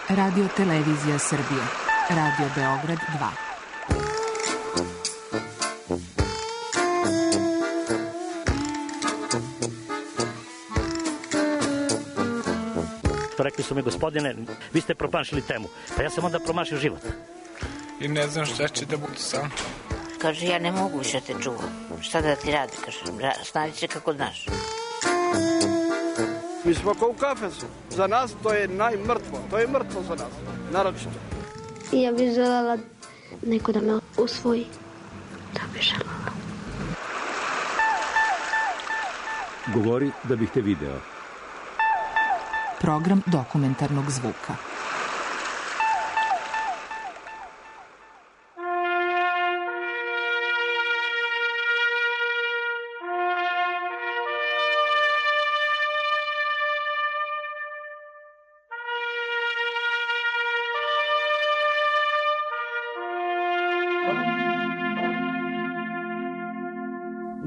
Radio Televizija Srbije. Radio Beograd 2. Rekli su mi, gospodine, vi ste promašili temu. Pa ja sam onda promašio život. I ne znam šta će da bude sam. Kaže, ja ne mogu više te čuvam. Šta da ti radi, kaže, snaći se kako znaš. Mi smo kao u kafesu. Za nas to je najmrtvo. To je mrtvo za nas, naročito. Ja bih želela neko da me usvoji. Da bih želela. Govori da bih te video. Program dokumentarnog zvuka.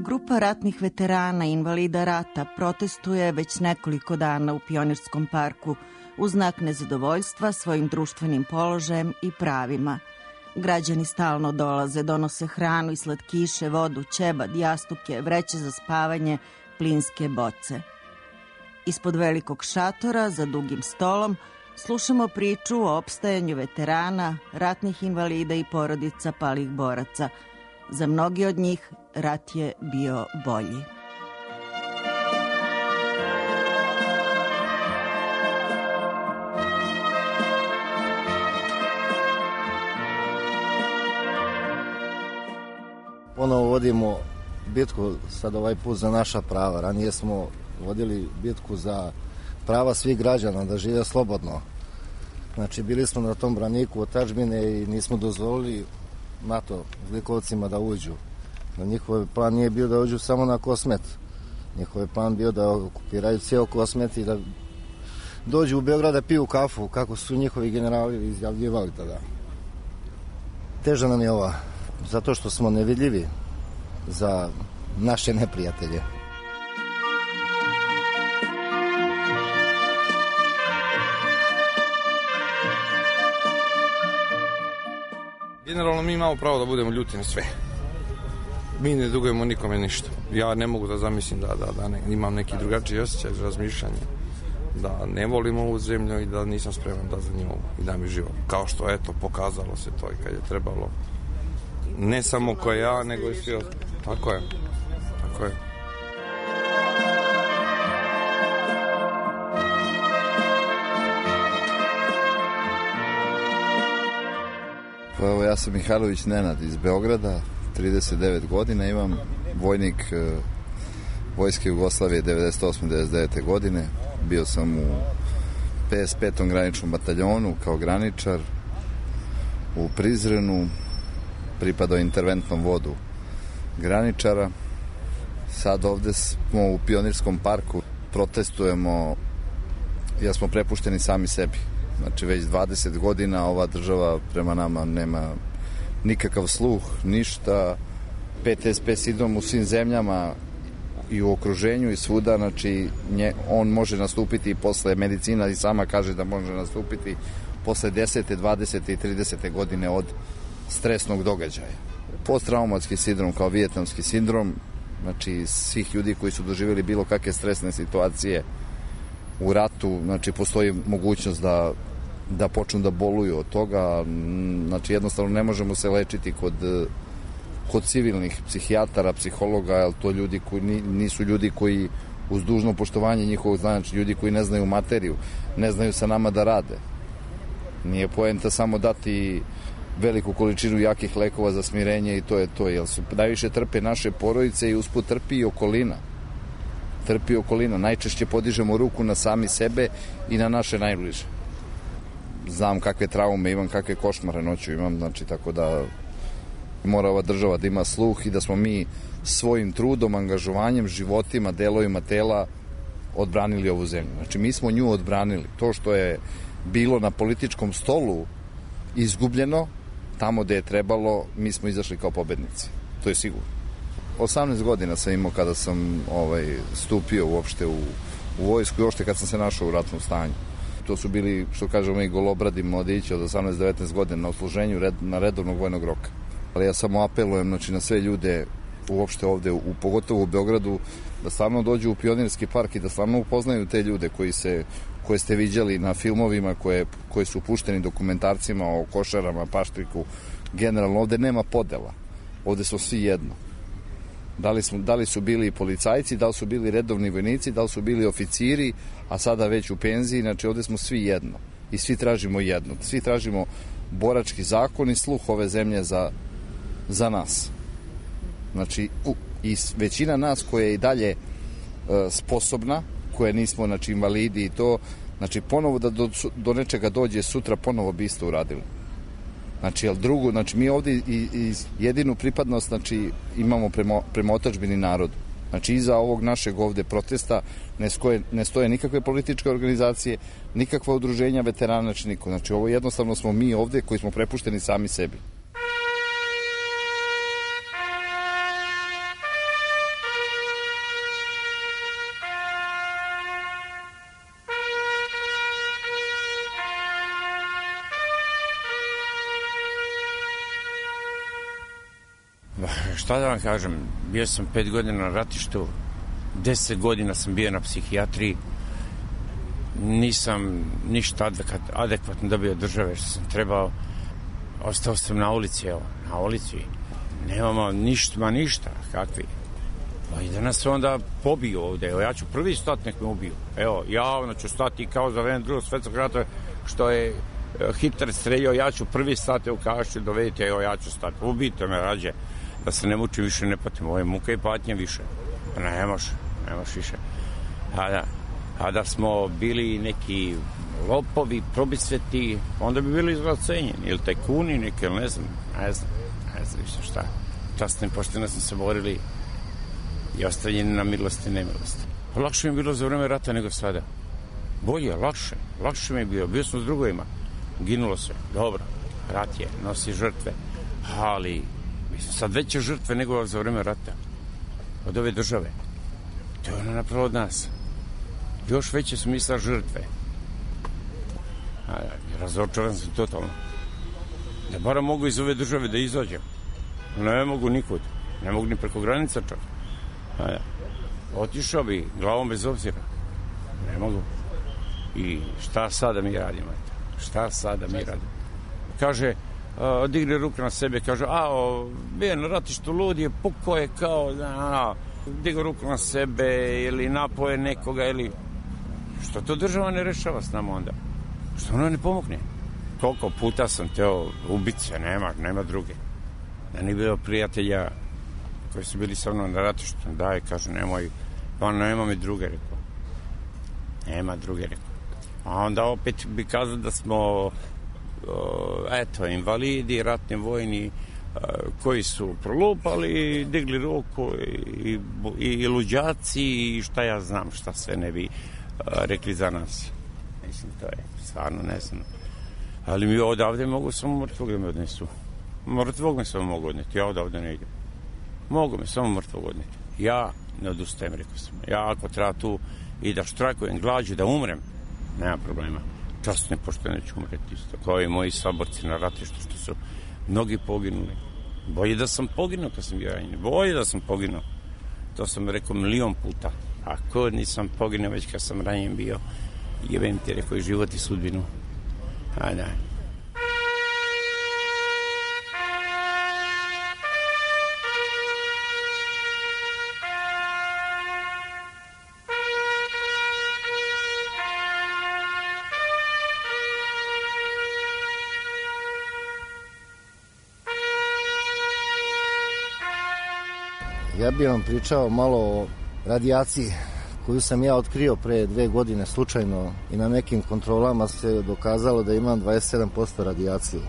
Grupa ratnih veterana i invalida rata protestuje već nekoliko dana u Pionirskom parku u znak nezadovoljstva svojim društvenim položajem i pravima. Građani stalno dolaze, donose hranu i slatkiše, vodu, ćebad, jastuke, vreće za spavanje, plinske boce. Ispod velikog šatora, za dugim stolom, slušamo priču o opstajanju veterana, ratnih invalida i porodica palih boraca. Za mnogi od njih rat je bio bolji. Ponovo vodimo bitku sad ovaj put za naša prava. Ranije smo vodili bitku za prava svih građana da žive slobodno. Znači bili smo na tom braniku otadžbine i nismo dozvolili NATO zlikovcima da uđu. Njihov plan nije bio da uđu samo na Kosmet. Njihov plan bio da okupiraju cijel Kosmet i da dođu u Beograd da piju kafu, kako su njihovi generali izjavljivali tada. Teža nam je ova, zato što smo nevidljivi za naše neprijatelje. Generalno mi imamo pravo da budemo ljuti na sve. Mi ne dugujemo nikome ništa. Ja ne mogu da zamislim da imam neki drugačiji osjećaj za razmišljanje. Da ne volim ovu zemlju i da nisam spreman da za nju i da mi život. Kao što, eto, pokazalo se to i kad je trebalo. Ne samo ko ja, nego i svi. Tako je. Tako je. Pa evo, ja sam Mihajlović Nenad iz Beograda, 39 godina, imam vojnik Vojske Jugoslavije 98-99 godine. Bio sam u 55. graničnom bataljonu kao graničar u Prizrenu, pripadao interventnom vodu graničara. Sad ovde smo u Pionirskom parku, protestujemo jer smo prepušteni sami sebi. Znači već 20 godina ova država prema nama nema nikakav sluh, ništa. PTSP sindrom u svim zemljama i u okruženju i svuda, znači on može nastupiti i posle, medicina i sama kaže da može nastupiti posle 10. 20. i 30. godine od stresnog događaja. Posttraumatski sindrom kao vijetnamski sindrom, znači svih ljudi koji su doživjeli bilo kakve stresne situacije u ratu, znači postoji mogućnost da počnu da boluju od toga, znači jednostavno ne možemo se lečiti kod civilnih psihijatara, psihologa, jer to ljudi koji nisu ljudi koji uz dužno poštovanje njihovog znanja, znači ljudi koji ne znaju materiju, ne znaju sa nama da rade. Nije poenta samo dati veliku količinu jakih lekova za smirenje i to je to, jer su najviše trpe naše porodice i usput trpi i okolina. Trpi okolina. Najčešće podižemo ruku na sami sebe i na naše najbliže. Znam kakve traume imam, kakve košmare noću imam, znači tako da mora ova država da ima sluh i da smo mi svojim trudom, angažovanjem, životima, delovima tela odbranili ovu zemlju. Znači mi smo nju odbranili. To što je bilo na političkom stolu izgubljeno, tamo gde je trebalo, mi smo izašli kao pobednici. To je sigurno. 18 godina sam imao kada sam stupio uopšte u vojsku i uopšte kad sam se našao u ratnom stanju. To su bili, što kažemo mi, golobradi mladići od 18-19 godina na odsluženju na redovnog vojnog roka. Ali ja samo apelujem na sve ljude uopšte ovde, pogotovo u Beogradu, da stvarno dođu u Pionirski park i da stvarno upoznaju te ljude koje ste viđali na filmovima, koje su pušteni dokumentarcima o Košarama, Paštriku. Generalno ovde nema podela. Ovde su svi jedno. Da li su bili policajci, da li su bili redovni vojnici, da li su bili oficiri, a sada već u penziji, znači ovde smo svi jedno. I svi tražimo jedno. Svi tražimo borački zakon i sluh ove zemlje za nas. Znači, i većina nas koja je i dalje sposobna, koje nismo, znači, invalidi i to, znači, ponovo da do nečega dođe sutra, ponovo bi isto uradili. Znači, jel drugo, znači, mi ovdje i jedinu pripadnost, znači, imamo prema otadžbini narodu. Znači, iza ovog našeg ovde protesta ne stoje nikakve političke organizacije, nikakva udruženja veterana, znači niko. Znači, ovo jednostavno smo mi ovde koji smo prepušteni sami sebi. Šta da vam kažem, bio sam 5 godina na ratištu, 10 godina sam bio na psihijatriji, nisam ništa adekvatno dobio države što sam trebao, ostao sam na ulici, na ulici, nemamo ništa, kakvi. I da nas onda pobiju ovde, ja ću prvi stati, nek me ubiju, javno ću stati kao za vreme Drugog svetskog rata, što je Hitler streljao, ja ću prvi stati u Kašću, dovedite, ja ću stati, ubijte me rađe. Da se ne mučim više, ne patim, ovo je muka i patnja više. Nemaš više. A da smo bili neki lopovi, probisveti, onda bi bili izglacenjeni, ili tajkuni neki, ili ne znam više šta. Časno i pošteno smo se borili i ostavljeni na milosti i nemilosti. Lakše mi je bilo za vreme rata nego sada. Bolje, lakše mi je bio sam s drugovima, ginulo se, dobro, rat je, nosi žrtve, ali sad veće žrtve nego za vreme rata od ove države. To je ona napravo od nas. Još veće su misla žrtve. Razočaran sam totalno. Da bara mogu iz ove države da izađem. Ne mogu nikud. Ne mogu ni preko granica čak. Otišao bi glavom bez obzira. Ne mogu. I šta sada mi radimo? Kaže, digne ruke na sebe, kaže, bio na ratištu lud je, pukao je kao, digne ruku na sebe ili napoje nekoga ili... Što to država ne rešava s nama onda? Što ona ne pomogne? Koliko puta sam teo ubice, nema druge. Da nije bilo prijatelja koji su bili sa mnom na ratištu, kaže, nema mi druge, rekao. Nema druge, rekao. A onda opet bi kazao da smo invalidi, ratni vojni koji su prolupali, digli ruku i luđaci i šta ja znam, šta sve ne bi rekli za nas. Mislim, to je stvarno ne znam. Ali mi odavde mogu samo mrtvog da me odnesu. Mrtvog me samo mogu odneti, ja odavde ne idem. Mogu me samo mrtvog odneti. Ja ne odustajem, rekao sam. Ja ako treba tu i da štrajkujem glađu, da umrem, nema problema. Časno i pošteno ću umreti isto, kao i moji saborci na ratištu, što su mnogi poginuli. Bolje da sam poginuo kad sam bio ranjen, bolje da sam poginuo. To sam rekao 1.000.000 puta. Ako nisam poginuo već kad sam ranjen bio, jebem ti, rekao, i život i sudbinu. Ajde. Ja bih vam pričao malo o radijaciji koju sam ja otkrio pre 2 godine slučajno i na nekim kontrolama se dokazalo da imam 27% radijaciju.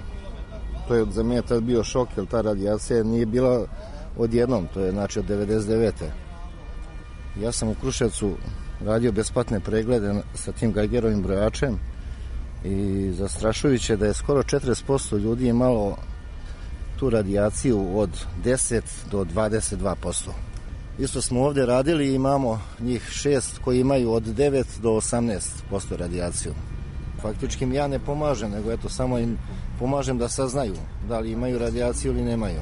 To je za mene tad bio šok, jer ta radijacija nije bila odjednom, to je znači od 99. Ja sam u Kruševcu radio besplatne preglede sa tim Geigerovim brojačem i zastrašujuće da je skoro 40% ljudi imalo tu radijaciju od 10 do 22%. Isto smo ovdje radili i imamo njih 6 koji imaju od 9 do 18% radijaciju. Faktički im ja ne pomažem, nego eto samo im pomažem da saznaju da li imaju radijaciju ili nemaju.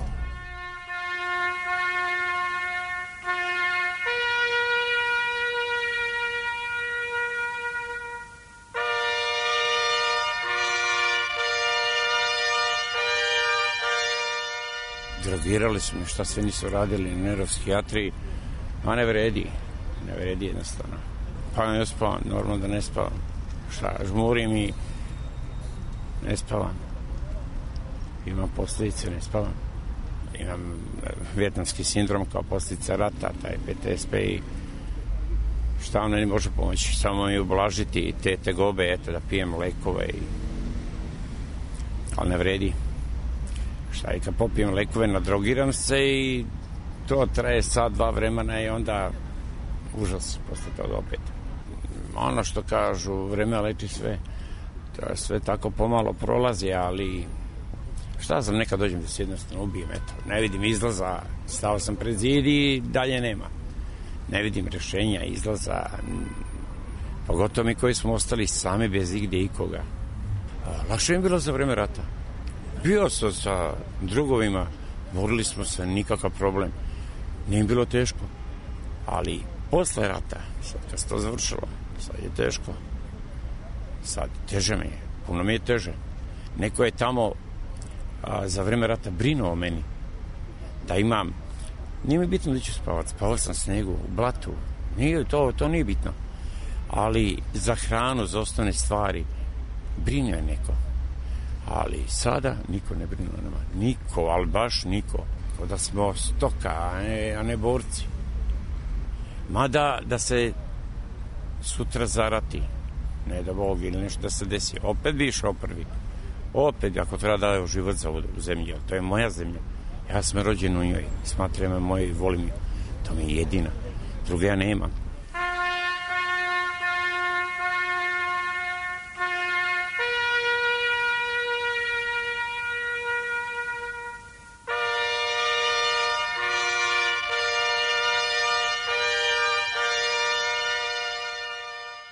Drogirali su me, šta sve nisu radili na neuropsihijatriji, a ne vredi jednostavno. Pa ne spavam, normalno da ne spavam. Šta, žmurim i ne spavam. Imam posljedice, ne spavam. Imam vijetnamski sindrom kao posljedica rata, taj PTSP i šta vam ne može pomoći, samo mi ublažiti te tegobe, eto da pijem lekove ali ne vredi. Šta i kad popijem lekove, nadrogiram se i to traje sat, 2 vremena i onda užas posle toga opet. Ono što kažu, vreme leči sve, to je sve tako pomalo prolazi, ali šta znam, nekad dođem da se jednostavno ubijem, eto, ne vidim izlaza, stao sam pred zid i dalje nema. Ne vidim rešenja, izlaza, pogotovo mi koji smo ostali sami bez igde ikoga. Lakše mi bilo za vreme rata. Bio sam sa drugovima, borili smo se, nikakav problem. Nije bilo teško. Ali posle rata, sad kad se to završilo, sad je teško. Sad teže mi je, puno mi je teže. Neko je tamo za vreme rata brinuo o meni. Da imam, nije mi bitno da ću spavati, spavao sam snegu, u blatu. Nije, to nije bitno. Ali za hranu, za osnovne stvari, brinuo je neko. Ali sada niko ne brinu o nama. Niko, ali baš niko. Kao da smo stoka, a ne borci. Mada da se sutra zarati, ne da Bog ili nešto da se desi, opet bi išao prvi. Opet, ako treba da daju život za ovu zemlju, to je moja zemlja. Ja sam rođen u njoj, smatram je moj i volim ju. To mi je jedina. Druge ja nemam.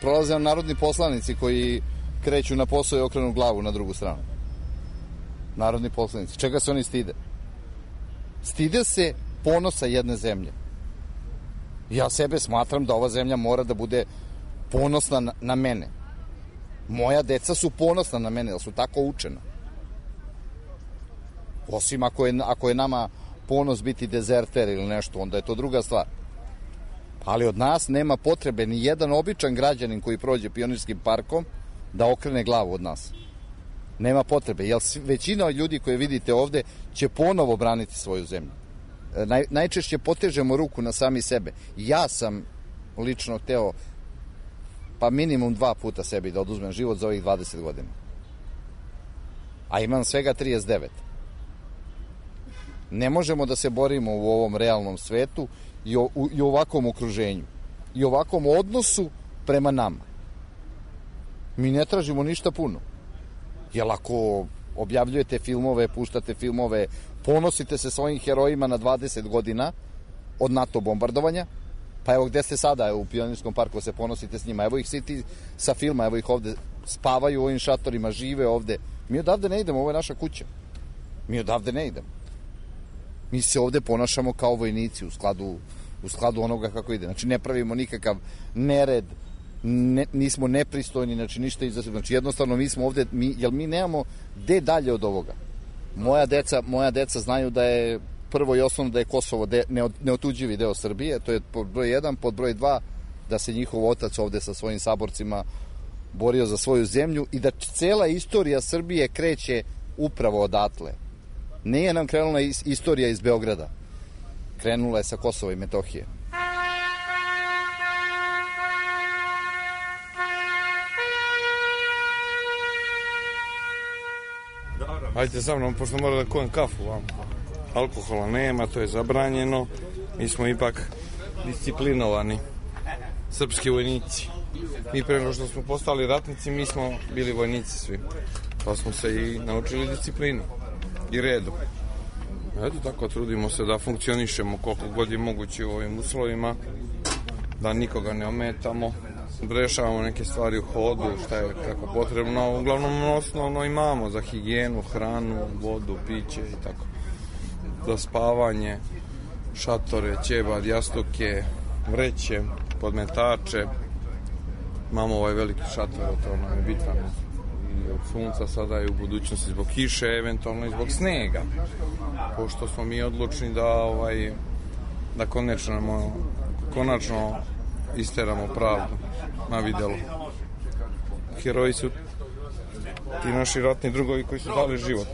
Prolaze nam narodni poslanici koji kreću na posao i okrenu glavu na drugu stranu. Narodni poslanici. Čega se oni stide? Stide se ponosa jedne zemlje. Ja sebe smatram da ova zemlja mora da bude ponosna na mene. Moja deca su ponosna na mene, da su tako učena. Osim ako je nama ponos biti dezerter ili nešto, onda je to druga stvar. Ali od nas nema potrebe ni jedan običan građanin koji prođe Pionirskim parkom da okrene glavu od nas. Nema potrebe, jer većina ljudi koje vidite ovde će ponovo braniti svoju zemlju. Najčešće potežemo ruku na sami sebe. Ja sam lično hteo pa minimum 2 puta sebi da oduzmem život za ovih 20 godina. A imam svega 39. Ne možemo da se borimo u ovom realnom svetu i u ovakvom okruženju i ovakvom odnosu prema nama. Mi ne tražimo ništa puno. Jer ako objavljujete filmove, puštate filmove, ponosite se svojim herojima na 20 godina od NATO bombardovanja, pa evo gde ste sada u Pionirskom parku, se ponosite s njima, evo ih svi sa filma, evo ih ovde spavaju u ovim šatorima, žive ovde. Mi odavde ne idemo, ovo je naša kuća. Mi odavde ne idemo. Mi se ovde ponašamo kao vojnici u skladu onoga kako ide. Znači ne pravimo nikakav nered, nismo nepristojni, znači ništa iza. Znači jednostavno mi smo ovde, jer mi nemamo gde dalje od ovoga. Moja deca znaju da je prvo i osnovno da je Kosovo neotuđivi deo Srbije, to je pod broj 1, pod broj 2 da se njihov otac ovde sa svojim saborcima borio za svoju zemlju i da cela istorija Srbije kreće upravo odatle. Nije nam krenula istorija iz Beograda. Krenula je sa Kosova i Metohije. Hajde sa mnom, pošto moram da kujem kafu vam. Alkohola nema, to je zabranjeno. Mi smo ipak disciplinovani srpski vojnici. Mi pre nego što smo postali ratnici, mi smo bili vojnici svi. Pa smo se i naučili disciplinu i redu. Eto tako, trudimo se da funkcionišemo koliko god je moguće u ovim uslovima, da nikoga ne ometamo, rešavamo neke stvari u hodu, šta je kako potrebno. Uglavnom osnovno imamo za higijenu, hranu, vodu, piće i tako. Za spavanje, šatore, ćebad, jastuke, vreće, podmetače. Imamo ovaj veliki šator, to nam je bitan i od sunca sada i u budućnosti zbog kiše, eventualno i zbog snega. Pošto smo mi odlučni da konačno isteramo pravdu na videlu. Heroji su ti naši ratni drugovi koji su dali život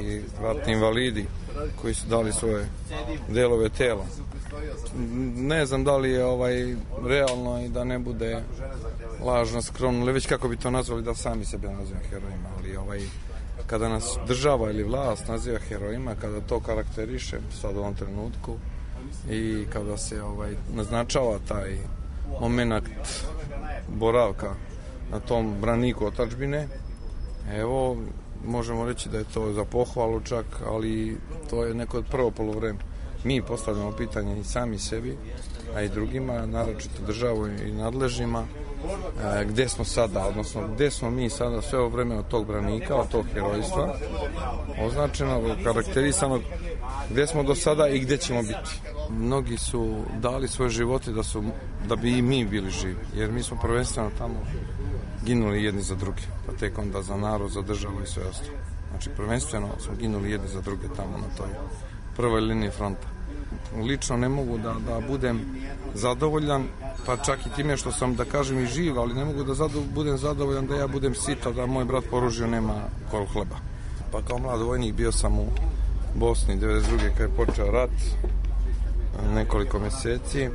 i ratni invalidi koji su dali svoje delove tela. Ne znam da li je realno i da ne bude lažno, skromno, ili već kako bi to nazvali, da sami sebe nazivamo herojima, ali kada nas država ili vlast naziva herojima, kada to karakteriše sad u ovom trenutku i kada se naznačava taj moment boravka na tom braniku otadžbine, evo, možemo reći da je to za pohvalu čak, ali to je neko prvo poluvreme. Mi postavljamo pitanje i sami sebi, a i drugima, naročito državu i nadležnima, gde smo sada, odnosno gde smo mi sada sve ovo vreme od tog branika, od tog herojstva, označenog, karakterisanog, gde smo do sada i gde ćemo biti. Mnogi su dali svoje živote da bi i mi bili živi, jer mi smo prvenstveno tamo ginuli jedni za druge, pa tek onda za narod, za državu i sve ostalo. Znači, prvenstveno smo ginuli jedni za druge tamo na toj prvoj liniji fronta. Lično ne mogu da budem zadovoljan, pa čak i time što sam, da kažem, i živ, ali ne mogu da budem zadovoljan da ja budem sita, da moj brat po oružju nema koru hleba. Pa kao mlad vojnik bio sam u Bosni 92. kad je počeo rat, nekoliko meseci,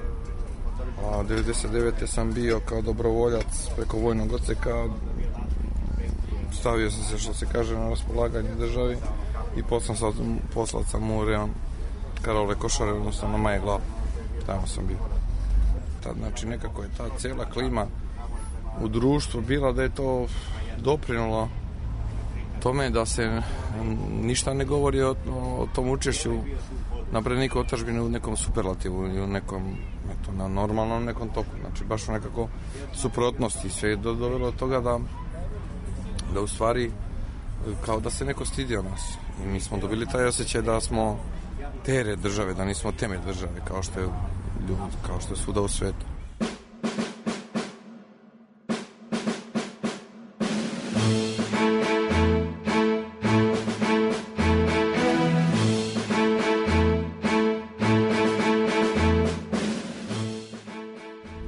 a 99. sam bio kao dobrovoljac preko vojnog odseka, stavio sam se, što se kaže, na raspolaganje državi i poslao sam u rejon Karole Košare, odnosno na Maje Glavu. Tamo sam bio. Znači, nekako je ta cijela klima u društvu bila da je to doprinulo tome da se ništa ne govori o tom učešću na braniku otadžbine u nekom superlativu ili u nekom, na normalnom nekom toku. Znači, baš u nekako suprotnosti. Sve je dovelo do toga da u stvari kao da se neko stidio nas. I mi smo dobili taj osjećaj da smo teret države, da nismo temelj države, kao što je svuda u svetu.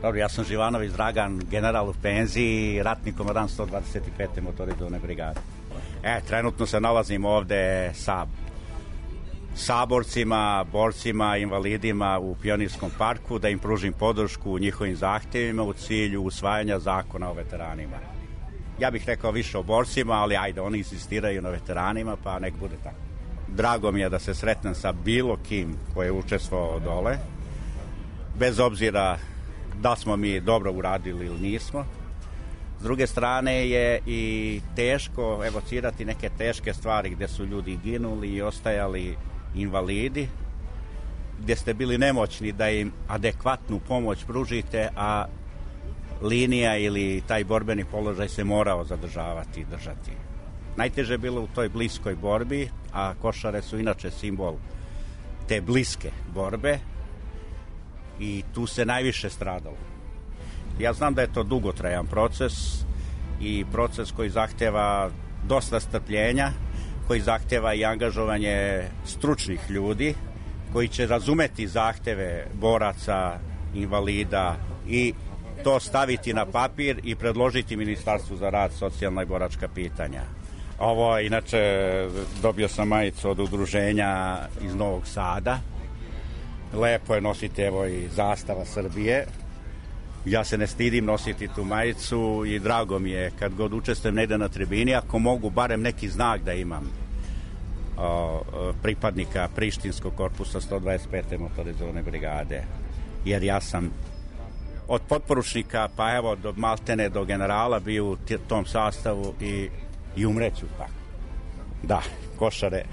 Dobro, ja sam Živanović Dragan, general u penziji, ratni komandant 125. motorizovane brigade. Trenutno se nalazim ovde sa saborcima, borcima, invalidima u Pionirskom parku da im pružim podršku u njihovim zahtjevima u cilju usvajanja zakona o veteranima. Ja bih rekao više o borcima, ali ajde, oni insistiraju na veteranima, pa nek bude tako. Drago mi je da se sretnem sa bilo kim koji je učestvovao dole, bez obzira da smo mi dobro uradili ili nismo. S druge strane je i teško evocirati neke teške stvari gde su ljudi ginuli i ostajali invalidi, gde ste bili nemoćni da im adekvatnu pomoć pružite, a linija ili taj borbeni položaj se morao zadržavati i držati. Najteže je bilo u toj bliskoj borbi, a Košare su inače simbol te bliske borbe i tu se najviše stradalo. Ja znam da je to dugotrajan proces i proces koji zahteva dosta strpljenja, koji zahteva i angažovanje stručnih ljudi koji će razumeti zahteve boraca, invalida i to staviti na papir i predložiti Ministarstvu za rad, socijalna i boračka pitanja. Ovo, inače, dobio sam majicu od udruženja iz Novog Sada. Lepo je nositi, evo, i zastava Srbije. Ja se ne stidim nositi tu majicu i drago mi je kad god učestvujem negde na tribini, ako mogu barem neki znak da imam pripadnika Prištinskog korpusa 125. motorizovane brigade. Jer ja sam od potporučnika pa evo do maltene do generala bio u tom sastavu i umreću tako. Da, Košare,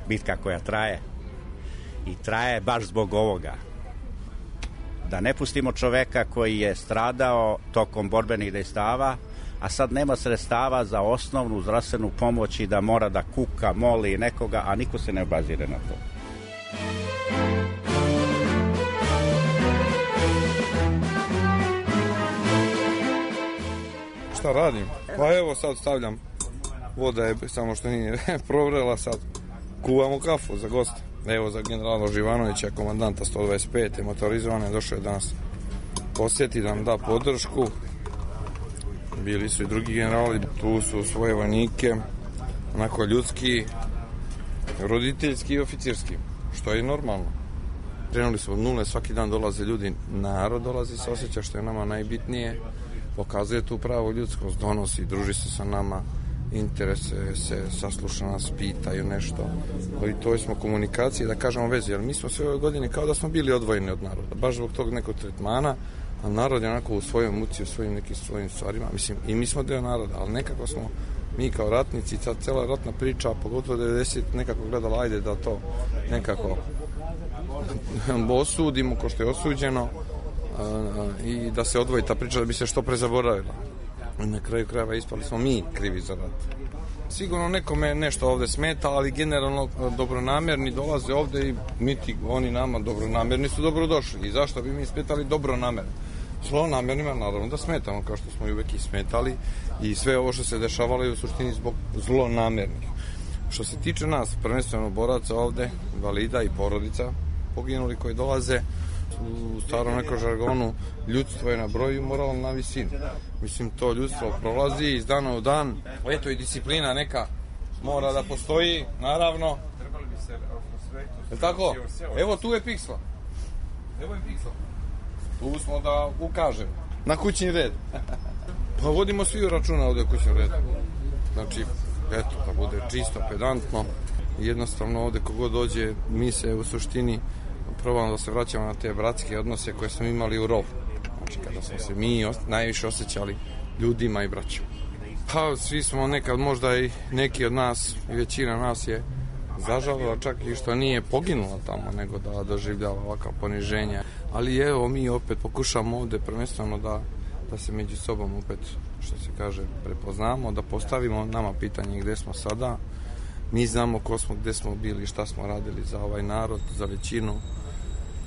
bitka koja traje i traje baš zbog ovoga. Da ne pustimo čoveka koji je stradao tokom borbenih dejstava, a sad nema sredstava za osnovnu zdravstvenu pomoć i da mora da kuka, moli nekoga, a niko se ne obazire na to. Šta radim? Pa evo sad stavljam, voda je samo što nije provrela, sad kuvamo kafu za goste. Evo za generala Živanovića, komandanta 125. motorizovane, došao je danas posjeti da nam da podršku. Bili su i drugi generali, tu su svoje vojnike, onako ljudski, roditeljski i oficirski, što je normalno. Krenuli smo od nule, svaki dan dolaze ljudi, narod dolazi se osjeća, što je nama najbitnije, pokazuje tu pravo ljudskost, donosi, druži se sa nama, interesuje se, sasluša nas, pitaju nešto. I to smo komunikacije, da kažemo vezi, jer mi smo sve ove godine kao da smo bili odvojeni od naroda, baš zbog tog nekog tretmana, a narod je onako u svojoj muci, u svojim nekim svojim stvarima, mislim, i mi smo deo naroda, ali nekako smo mi kao ratnici, ta cela ratna priča, pogotovo 90, nekako gledala, ajde da to nekako osudimo ko što je osuđeno i da se odvoji ta priča da bi se što pre zaboravila. Na kraju krajeva ispali smo mi krivi za rat. Sigurno nekome nešto ovde smeta, ali generalno dobronamerni dolaze ovde i niti oni nama dobronamerni su dobrodošli. I zašto bi mi smetali dobronamerni? Zlonamernima naravno da smetamo, kao što smo i uvek i smetali, i sve ovo što se dešavalo je u suštini zbog zlonamernih. Što se tiče nas, prvenstveno boraca ovde, invalida i porodica poginuli koji dolaze, u starom nekom žargonu, ljudstvo je na broju, moral na visini. Mislim, to ljudstvo prolazi iz dana u dan. Eto i disciplina neka mora da postoji, naravno. Je tako? Evo tu je Piksla. Evo je Piksla. Tu smo da ukažemo. Na kućni red. Pa vodimo svi računa ovde u kućnom redu. Znači, eto, da bude čisto, pedantno. Jednostavno ovde kogod dođe, mi se u suštini probamo da se vraćamo na te bratske odnose koje smo imali u rovu. Znači, kada smo se mi najviše osjećali ljudima i braćom. Pa, svi smo nekad, možda i neki od nas, i većina nas je zažalila čak i što nije poginula tamo, nego da doživljava ovakav poniženja. Ali evo, mi opet pokušamo ovde prvenstveno da se među sobom opet, što se kaže, prepoznamo, da postavimo nama pitanje gde smo sada. Mi znamo ko smo, gde smo bili, šta smo radili za ovaj narod, za većinu.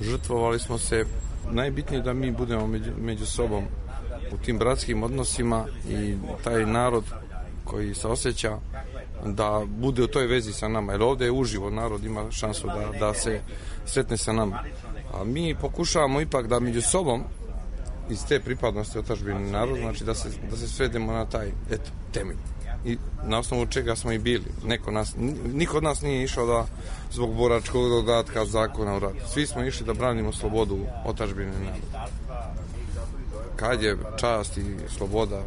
Žrtvovali smo se. Najbitnije da mi budemo među sobom u tim bratskim odnosima i taj narod koji se osjeća da bude u toj vezi sa nama. Jer ovde je uživo, narod ima šansu da se sretne sa nama. A mi pokušavamo ipak da među sobom iz te pripadnosti otadžbini narod, znači da se svedemo na taj temelj. I na osnovu čega smo i bili. Niko od nas nije išao da zbog boračkog dodatka zakona u ratu. Svi smo išli da branimo slobodu otadžbine naroda. Kad je čast i sloboda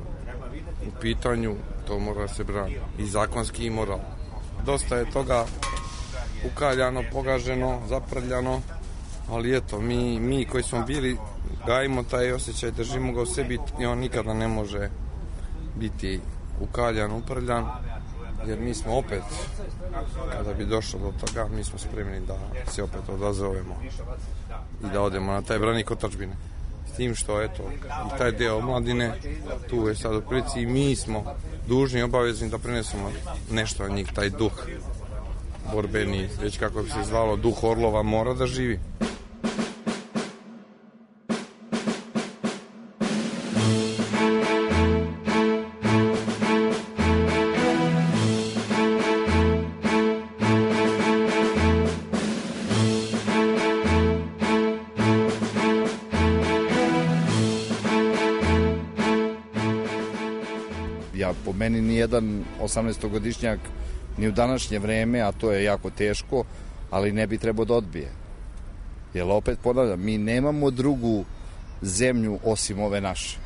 u pitanju, to mora se brani. I zakonski i moralno. Dosta je toga ukaljano, pogaženo, zaprljano, ali eto, mi koji smo bili, gajimo taj osjećaj, držimo ga u sebi i on nikada ne može biti ukaljan, uprljan, jer mi smo opet, kada bi došlo do toga, mi smo spremni da se opet odazovemo i da odemo na taj branik otadžbine. S tim što, eto, i taj deo omladine, tu je sad u prilici i mi smo dužni i obavezni da prenesemo nešto na njih, taj duh borbeni, već kako bi se zvalo, duh orlova mora da živi. Po meni nijedan 18-godišnjak ni u današnje vreme, a to je jako teško, ali ne bi trebao da odbije. Jer opet ponavljam, mi nemamo drugu zemlju osim ove naše.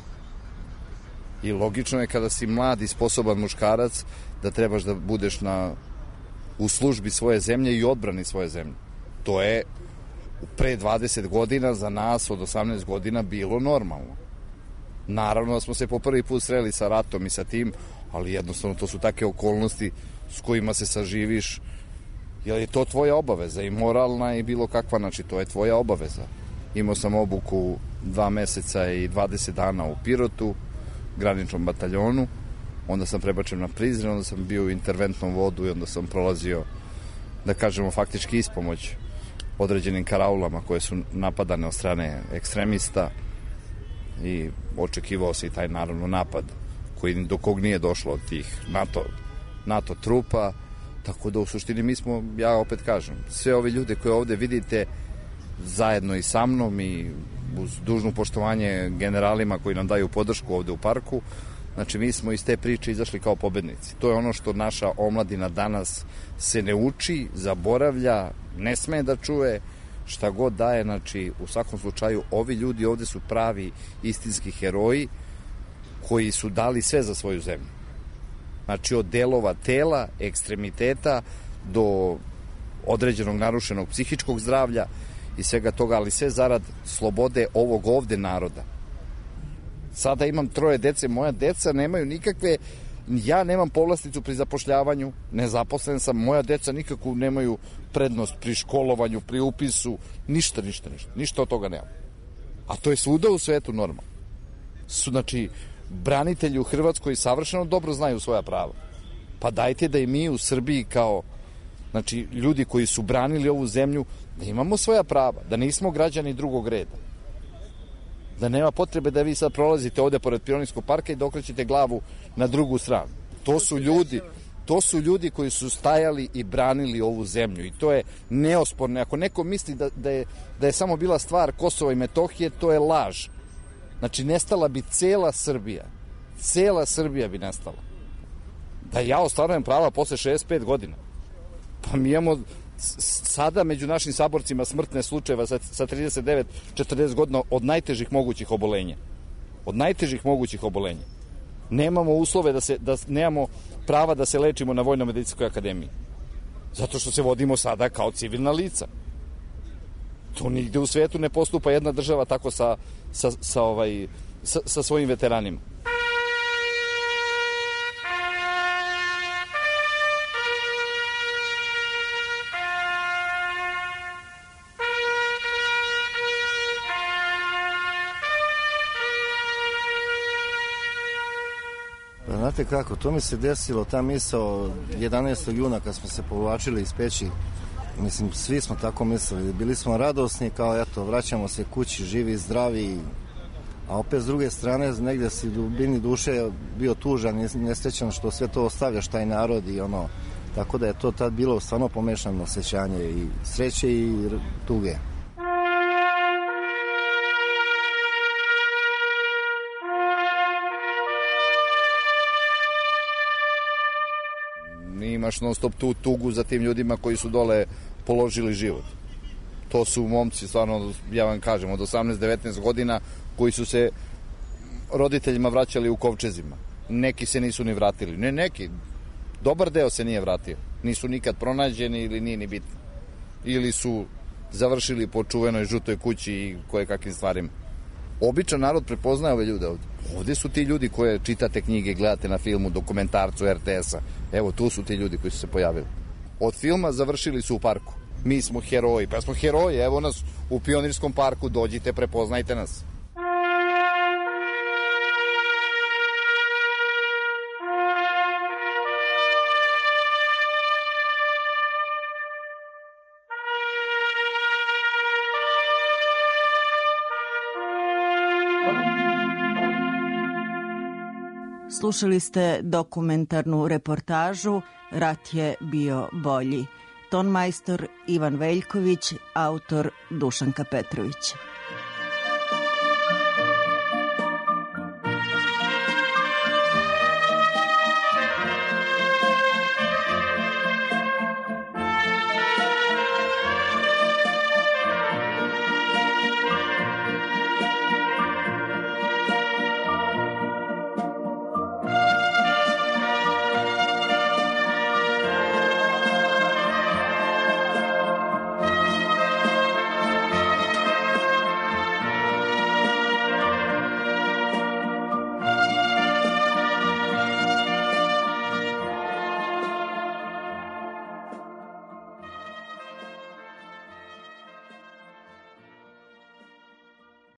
I logično je kada si mlad i sposoban muškarac da trebaš da budeš u službi svoje zemlje i odbrani svoje zemlje. To je pre 20 godina za nas od 18 godina bilo normalno. Naravno da smo se po prvi put sreli sa ratom i sa tim, ali jednostavno to su takve okolnosti s kojima se saživiš, jer je to tvoja obaveza i moralna i bilo kakva, znači to je tvoja obaveza. Imao sam obuku 2 meseca i 20 dana u Pirotu, graničnom bataljonu. Onda sam prebačen na Prizren, onda sam bio u interventnom vodu i onda sam prolazio, da kažemo, faktički ispomoć određenim karaulama koje su napadane od strane ekstremista i očekivao se i taj naravno napad do kog nije došlo od tih NATO trupa, tako da u suštini mi smo, ja opet kažem, sve ove ljude koje ovde vidite zajedno i sa mnom i uz dužno poštovanje generalima koji nam daju podršku ovde u parku, znači mi smo iz te priče izašli kao pobednici. To je ono što naša omladina danas se ne uči, zaboravlja, ne sme da čuje, šta god daje, znači u svakom slučaju ovi ljudi ovde su pravi istinski heroji koji su dali sve za svoju zemlju. Znači od delova tela, ekstremiteta do određenog narušenog psihičkog zdravlja i svega toga, ali sve zarad slobode ovog ovde naroda. Sada imam 3 dece, moja deca nemaju nikakve, ja nemam povlasticu pri zapošljavanju, nezaposlen sam, moja deca nikakvu nemaju prednost pri školovanju, pri upisu, ništa od toga nemam. A to je svuda u svetu normalno. Znači, branitelji u Hrvatskoj savršeno dobro znaju svoja prava. Pa dajte da i mi u Srbiji kao, znači, ljudi koji su branili ovu zemlju, da imamo svoja prava, da nismo građani drugog reda. Da nema potrebe da vi sad prolazite ovde pored Pionirskog parka i da okrećete glavu na drugu stranu. To su ljudi koji su stajali i branili ovu zemlju i to je neosporno. Ako neko misli da je samo bila stvar Kosova i Metohije, to je laž. Znači, nestala bi cela Srbija. Cela Srbija bi nestala. Da ja ostvarujem prava posle 65 godina. Pa mi imamo sada među našim saborcima smrtne slučajeva sa 39-40 godina od najtežih mogućih obolenja. Od najtežih mogućih obolenja. Nemamo uslove da nemamo prava da se lečimo na Vojno-medicinskoj akademiji. Zato što se vodimo sada kao civilna lica. To nigde u svetu ne postupa jedna država tako sa svojim veteranima. Znate kako, to mi se desilo, ta misao 11. juna kad smo se povlačili iz peći, mislim, svi smo tako mislili, bili smo radosni kao eto, vraćamo se kući, živi, zdravi, a opet s druge strane negdje si u dubini duše bio tužan i nesrećan što sve to ostavljaš taj narod i ono, tako da je to tad bilo stvarno pomešano osjećanje i sreće i tuge. Imaš non stop tu tugu za tim ljudima koji su dole položili život. To su momci, stvarno, ja vam kažem, od 18-19 godina koji su se roditeljima vraćali u kovčezima. Neki se nisu ni vratili. Ne neki, dobar deo se nije vratio. Nisu nikad pronađeni ili nije ni bitno. Ili su završili po čuvenoj žutoj kući i koje kakvim stvarima. Običan narod prepoznaje ove ljude ovde. Ovde su ti ljudi koje čitate knjige, gledate na filmu, dokumentarcu RTS-a. Evo, tu su ti ljudi koji su se pojavili. Od filma završili su u parku. Mi smo heroji, pa smo heroji, evo nas u Pionirskom parku, dođite, prepoznajte nas. Slušali ste dokumentarnu reportažu Rat je bio bolji. Tonmajstor Ivan Veljković, autor Dušanka Petrović.